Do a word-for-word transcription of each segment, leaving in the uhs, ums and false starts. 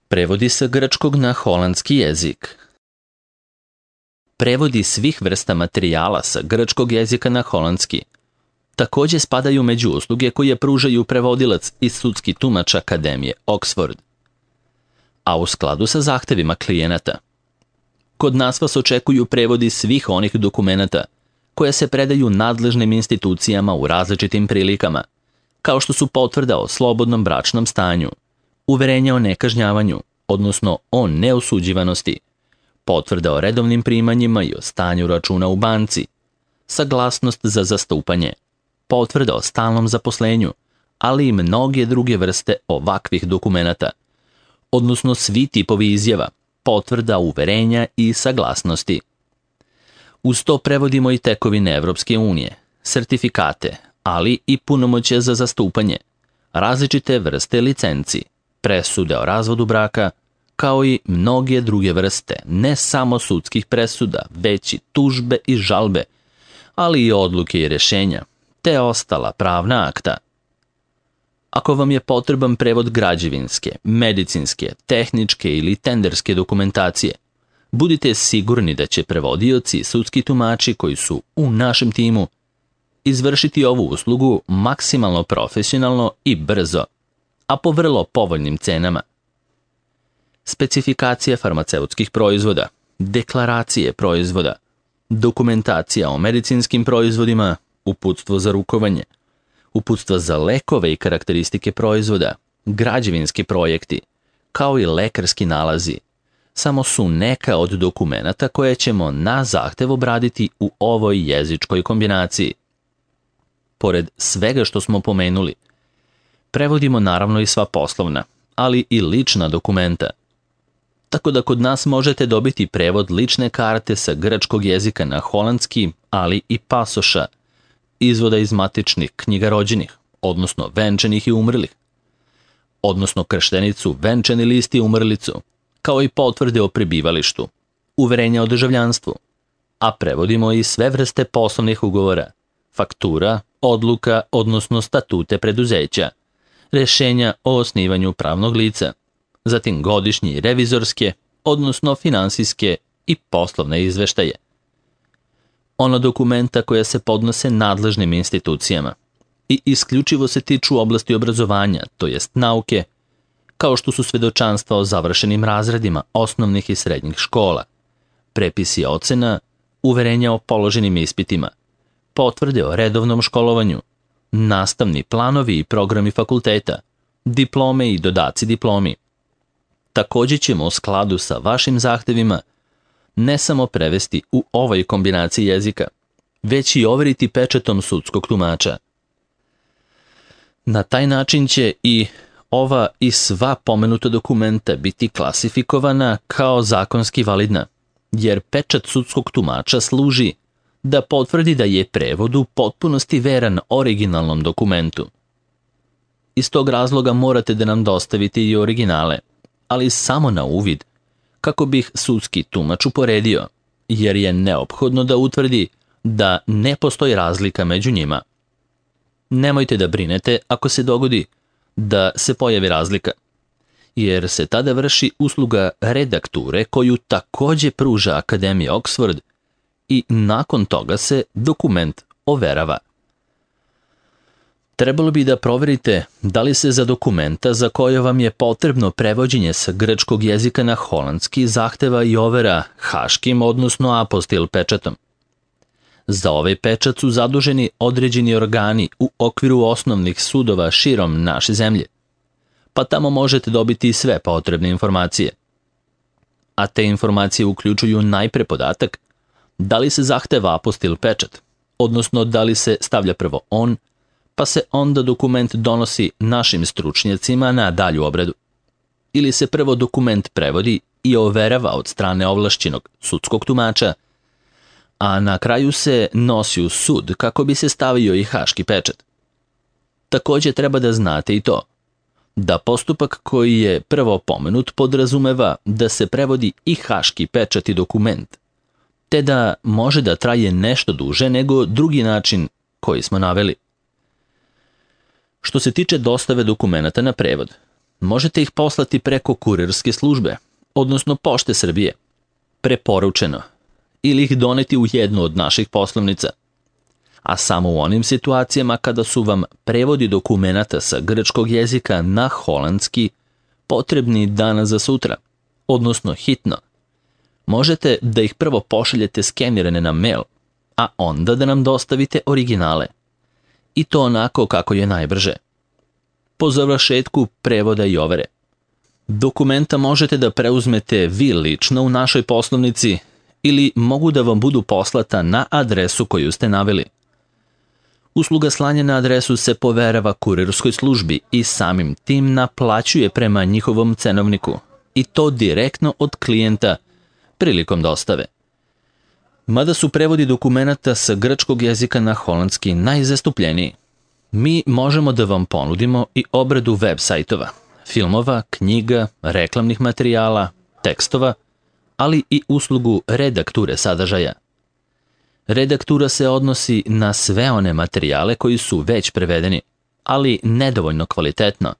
Prevodi sa grčkog na holandski jezik. Prevodi svih vrsta materijala sa grčkog jezika na holandski također spadaju među usluge koje pružaju prevodilac i sudski tumač Akademije Oxford, a u skladu sa zahtevima klijenata. Kod nas vas očekuju prevodi svih onih dokumenata koje se predaju nadležnim institucijama u različitim prilikama, kao što su potvrda o slobodnom bračnom stanju, uverenje o nekažnjavanju, odnosno o neosuđivanosti, potvrda o redovnim primanjima i o stanju računa u banci, saglasnost za zastupanje, potvrda o stalnom zaposlenju, ali i mnoge druge vrste ovakvih dokumenata, odnosno svi tipovi izjava, potvrda, uverenja i saglasnosti. Uz to prevodimo i tekovine Evropske unije, sertifikate, ali i punomoćje za zastupanje, različite vrste licenci, presude o razvodu braka, kao i mnoge druge vrste, ne samo sudskih presuda, već i tužbe i žalbe, ali i odluke i rješenja, te ostala pravna akta. Ako vam je potreban prevod građevinske, medicinske, tehničke ili tenderske dokumentacije, budite sigurni da će prevodioci i sudski tumači koji su u našem timu izvršiti ovu uslugu maksimalno profesionalno i brzo, a po vrlo povoljnim cenama. Specifikacije farmaceutskih proizvoda, deklaracije proizvoda, dokumentacija o medicinskim proizvodima, uputstvo za rukovanje, uputstva za lekove i karakteristike proizvoda, građevinski projekti, kao i lekarski nalazi, samo su neka od dokumenata koje ćemo na zahtev obraditi u ovoj jezičkoj kombinaciji. Pored svega što smo pomenuli, prevodimo naravno i sva poslovna, ali i lična dokumenta. Tako da kod nas možete dobiti prevod lične karte sa grčkog jezika na holandski, ali i pasoša, izvoda iz matičnih knjiga rođenih, odnosno venčanih i umrlih, odnosno krštenicu, venčani list i umrlicu, kao i potvrde o prebivalištu, uverenja o državljanstvu, a prevodimo i sve vrste poslovnih ugovora, faktura, odluka, odnosno statute preduzeća, rješenja o osnivanju pravnog lica, zatim godišnje revizorske, odnosno finansijske i poslovne izveštaje. Ono dokumenta koja se podnose nadležnim institucijama i isključivo se tiču oblasti obrazovanja, to jest nauke, kao što su svedočanstva o završenim razredima osnovnih i srednjih škola, prepisi ocena, uverenja o položenim ispitima, potvrde o redovnom školovanju, nastavni planovi i programi fakulteta, diplome i dodaci diplomi. Također ćemo u skladu sa vašim zahtevima ne samo prevesti u ovoj kombinaciji jezika, već i overiti pečatom sudskog tumača. Na taj način će i ova i sva pomenuta dokumenta biti klasifikovana kao zakonski validna, jer pečat sudskog tumača služi da potvrdi da je prevod u potpunosti veran originalnom dokumentu. Iz tog razloga morate da nam dostavite i originale, ali samo na uvid, kako bih sudski tumač uporedio, jer je neophodno da utvrdi da ne postoji razlika među njima. Nemojte da brinete ako se dogodi da se pojavi razlika, jer se tada vrši usluga redakture koju također pruža Akademija Oxford i nakon toga se dokument overava. Trebalo bi da proverite da li se za dokumenta za koje vam je potrebno prevođenje sa grčkog jezika na holandski zahteva i overa haškim, odnosno apostil pečatom. Za ovaj pečat su zaduženi određeni organi u okviru osnovnih sudova širom naše zemlje, pa tamo možete dobiti sve potrebne informacije. A te informacije uključuju najpre podatak da li se zahteva apostil pečat, odnosno da li se stavlja prvo on, pa se onda dokument donosi našim stručnjacima na dalju obradu. Ili se prvo dokument prevodi i overava od strane ovlašćenog sudskog tumača, a na kraju se nosi u sud kako bi se stavio i haški pečat. Također treba da znate i to, da postupak koji je prvo pomenut podrazumeva da se prevodi i haški pečat i dokument, te da može da traje nešto duže nego drugi način koji smo naveli. Što se tiče dostave dokumenata na prevod, možete ih poslati preko kurirske službe, odnosno Pošte Srbije, preporučeno, ili ih doneti u jednu od naših poslovnica. A samo u onim situacijama kada su vam prevodi dokumenata sa grčkog jezika na holandski potrebni danas za sutra, odnosno hitno, možete da ih prvo pošaljete skenirane na mail, a onda da nam dostavite originale. I to onako kako je najbrže. Po završetku prevoda i overe. Dokumenta možete da preuzmete vi lično u našoj poslovnici ili mogu da vam budu poslata na adresu koju ste naveli. Usluga slanja na adresu se poverava kurirskoj službi i samim tim naplaćuje prema njihovom cenovniku, i to direktno od klijenta prilikom dostave. Mada su prevodi dokumenata sa grčkog jezika na holandski najzastupljeniji, mi možemo da vam ponudimo i obradu web sajtova, filmova, knjiga, reklamnih materijala, tekstova, ali i uslugu redakture sadržaja. Redaktura se odnosi na sve one materijale koji su već prevedeni, ali nedovoljno kvalitetno,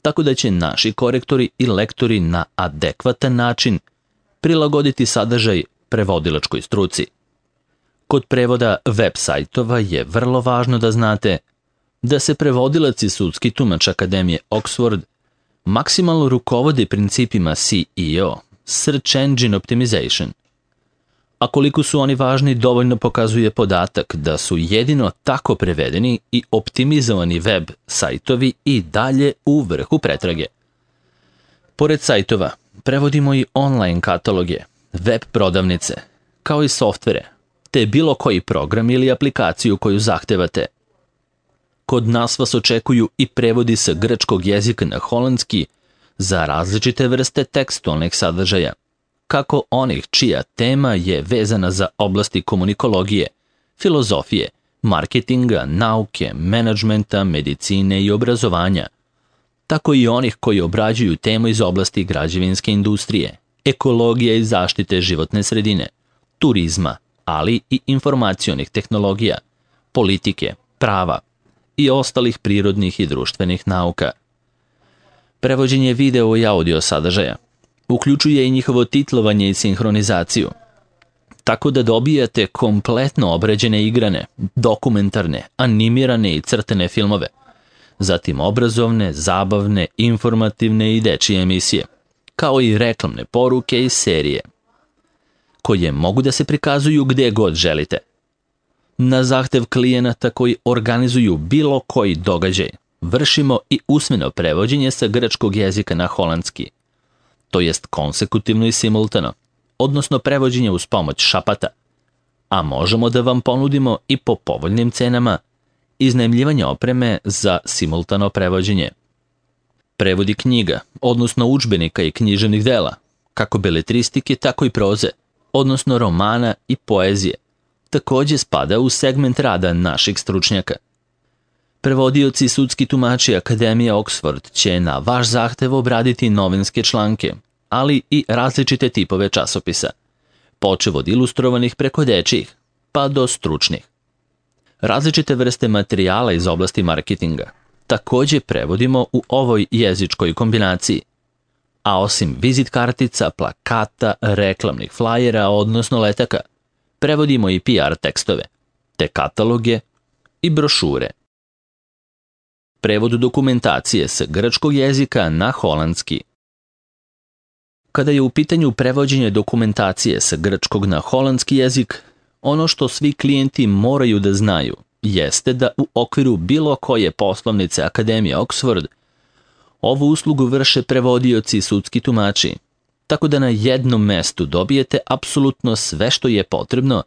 tako da će naši korektori i lektori na adekvatan način prilagoditi sadržaj prevodilačkoj struci. Kod prevoda web sajtova je vrlo važno da znate da se prevodilac i sudski tumač Akademije Oxford maksimalno rukovode principima S E O, Search Engine Optimization. A koliko su oni važni dovoljno pokazuje podatak da su jedino tako prevedeni i optimizovani web sajtovi i dalje u vrhu pretrage. Pored sajtova, prevodimo i online kataloge, web prodavnice, kao i softvere, te bilo koji program ili aplikaciju koju zahtevate. Kod nas vas očekuju i prevodi sa grčkog jezika na holandski za različite vrste tekstualnih sadržaja, kako onih čija tema je vezana za oblasti komunikologije, filozofije, marketinga, nauke, menadžmenta, medicine i obrazovanja, tako i onih koji obrađuju temu iz oblasti građevinske industrije, ekologije i zaštite životne sredine, turizma, ali i informacionih tehnologija, politike, prava i ostalih prirodnih i društvenih nauka. Prevođenje video i audio sadržaja uključuje i njihovo titlovanje i sinhronizaciju, tako da dobijate kompletno obrađene igrane, dokumentarne, animirane i crtene filmove, zatim obrazovne, zabavne, informativne i dečije emisije, kao i reklamne poruke i serije, koje mogu da se prikazuju gde god želite. Na zahtev klijenata koji organizuju bilo koji događaj, vršimo i usmeno prevođenje sa grčkog jezika na holandski, to jest konsekutivno i simultano, odnosno prevođenje uz pomoć šapata, a možemo da vam ponudimo i po povoljnim cenama iznajmljivanje opreme za simultano prevođenje. Prevodi knjiga, odnosno udžbenika i književnih dela, kako beletristike, tako i proze, odnosno romana i poezije, takođe spada u segment rada naših stručnjaka. Prevodioci i sudski tumači Akademije Oxford će na vaš zahtev obraditi novinske članke, ali i različite tipove časopisa, počev od ilustrovanih preko dečijih, pa do stručnih. Različite vrste materijala iz oblasti marketinga takođe prevodimo u ovoj jezičkoj kombinaciji, a osim vizit kartica, plakata, reklamnih flajera, odnosno letaka, prevodimo i P R tekstove, te kataloge i brošure. Prevod dokumentacije sa grčkog jezika na holandski. Kada je u pitanju prevođenje dokumentacije sa grčkog na holandski jezik, ono što svi klijenti moraju da znaju jeste da u okviru bilo koje poslovnice Akademije Oxford ovu uslugu vrše prevodioci i sudski tumači, tako da na jednom mestu dobijete apsolutno sve što je potrebno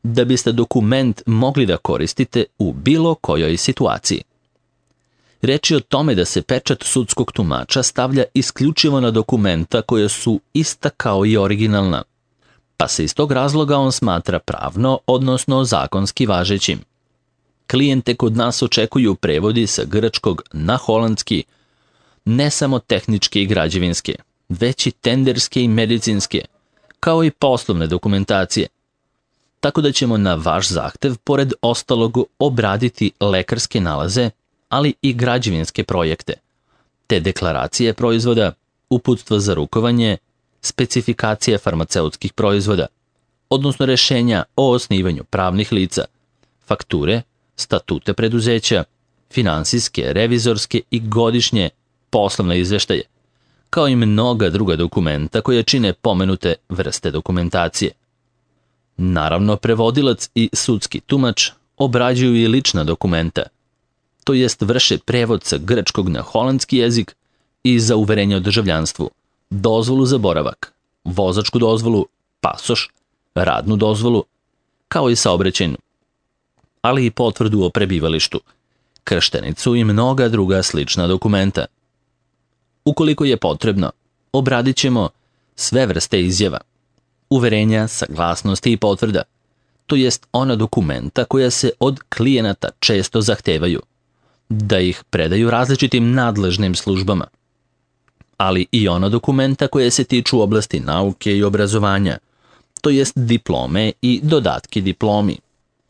da biste dokument mogli da koristite u bilo kojoj situaciji. Reč je o tome da se pečat sudskog tumača stavlja isključivo na dokumenta koja su ista kao i originalna, pa se iz tog razloga on smatra pravno, odnosno zakonski važećim. Klijente kod nas očekuju prevodi sa grčkog na holandski, ne samo tehničke i građevinske, već i tenderske i medicinske, kao i poslovne dokumentacije. Tako da ćemo na vaš zahtev, pored ostalog, obraditi lekarske nalaze, ali i građevinske projekte, te deklaracije proizvoda, uputstva za rukovanje, specifikacije farmaceutskih proizvoda, odnosno rešenja o osnivanju pravnih lica, fakture, statute preduzeća, finansijske, revizorske i godišnje poslovne izveštaje, kao i mnoga druga dokumenta koje čine pomenute vrste dokumentacije. Naravno, prevodilac i sudski tumač obrađuju i lična dokumenta, to jest vrše prevod sa grčkog na holandski jezik i za uverenje o državljanstvu, dozvolu za boravak, vozačku dozvolu, pasoš, radnu dozvolu, kao i saobraćajnu, ali i potvrdu o prebivalištu, krštenicu i mnoga druga slična dokumenta. Ukoliko je potrebno, obradit ćemo sve vrste izjava, uverenja, saglasnosti i potvrda, to jest ona dokumenta koja se od klijenata često zahtevaju, da ih predaju različitim nadležnim službama, ali i ona dokumenta koje se tiču oblasti nauke i obrazovanja, to jest diplome i dodatki diplomi,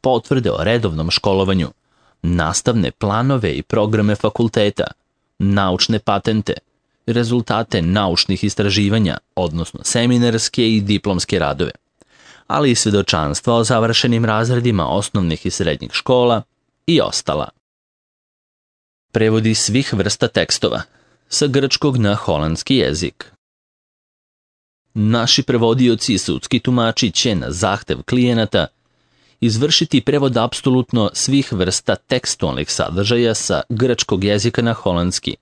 potvrde o redovnom školovanju, nastavne planove i programe fakulteta, naučne patente, rezultate naučnih istraživanja, odnosno seminarske i diplomske radove, ali i svedočanstva o završenim razredima osnovnih i srednjih škola i ostala. Prevodi svih vrsta tekstova, sa grčkog na holandski jezik. Naši prevodioci i sudski tumači će na zahtev klijenata izvršiti prevod apsolutno svih vrsta tekstualnih sadržaja sa grčkog jezika na holandski,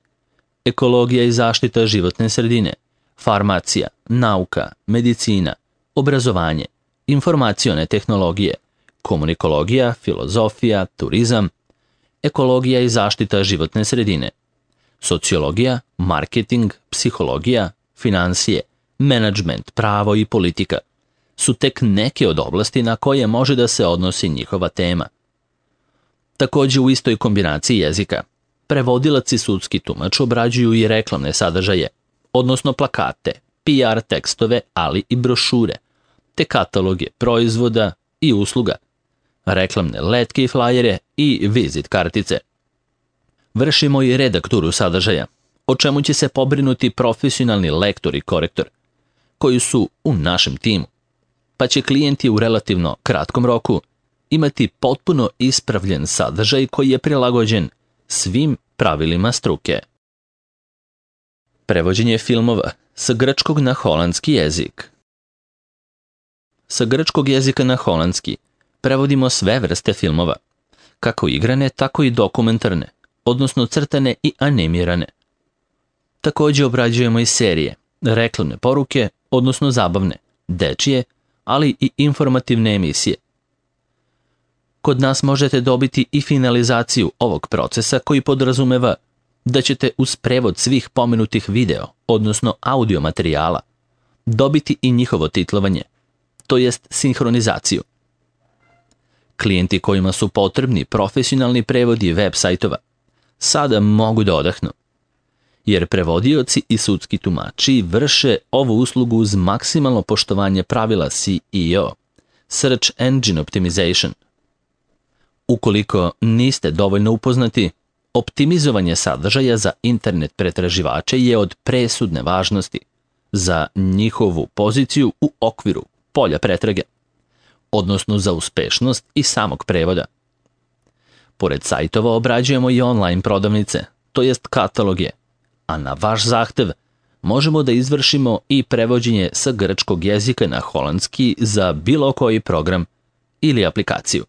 ekologija i zaštita životne sredine, farmacija, nauka, medicina, obrazovanje, informacione tehnologije, komunikologija, filozofija, turizam, ekologija i zaštita životne sredine, sociologija, marketing, psihologija, finansije, menadžment, pravo i politika su tek neke od oblasti na koje može da se odnosi njihova tema. Takođe u istoj kombinaciji jezika, prevodilac i sudski tumač obrađuju i reklamne sadržaje, odnosno plakate, P R tekstove, ali i brošure, te kataloge proizvoda i usluga, reklamne letke i flajere i vizit kartice. Vršimo i redakturu sadržaja, o čemu će se pobrinuti profesionalni lektor i korektor, koji su u našem timu, pa će klijenti u relativno kratkom roku imati potpuno ispravljen sadržaj koji je prilagođen svim pravilima struke. Prevođenje filmova sa grčkog na holandski jezik. Sa grčkog jezika na holandski prevodimo sve vrste filmova, kako igrane, tako i dokumentarne, odnosno crtane i animirane. Takođe obrađujemo i serije, reklamne poruke, odnosno zabavne, dečije, ali i informativne emisije. Kod nas možete dobiti i finalizaciju ovog procesa koji podrazumeva da ćete uz prevod svih pomenutih video, odnosno audio materijala, dobiti i njihovo titlovanje, to jest sinhronizaciju. Klijenti kojima su potrebni profesionalni prevodi web sajtova sada mogu da odahnu, jer prevodioci i sudski tumači vrše ovu uslugu uz maksimalno poštovanje pravila S E O, Search Engine Optimization. Ukoliko niste dovoljno upoznati, optimizovanje sadržaja za internet pretraživače je od presudne važnosti za njihovu poziciju u okviru polja pretrage, odnosno za uspešnost i samog prevoda. Pored sajtova obrađujemo i online prodavnice, to jest kataloge, a na vaš zahtev možemo da izvršimo i prevođenje sa grčkog jezika na holandski za bilo koji program ili aplikaciju.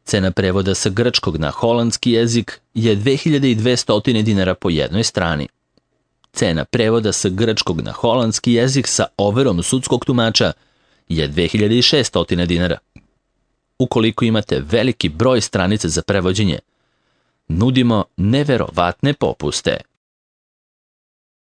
Cena prevoda sa grčkog na holandski jezik je dve hiljade dvesta dinara po jednoj strani. Cena prevoda sa grčkog na holandski jezik sa overom sudskog tumača je dve hiljade šeststo dinara. Ukoliko imate veliki broj stranica za prevođenje, nudimo neverovatne popuste.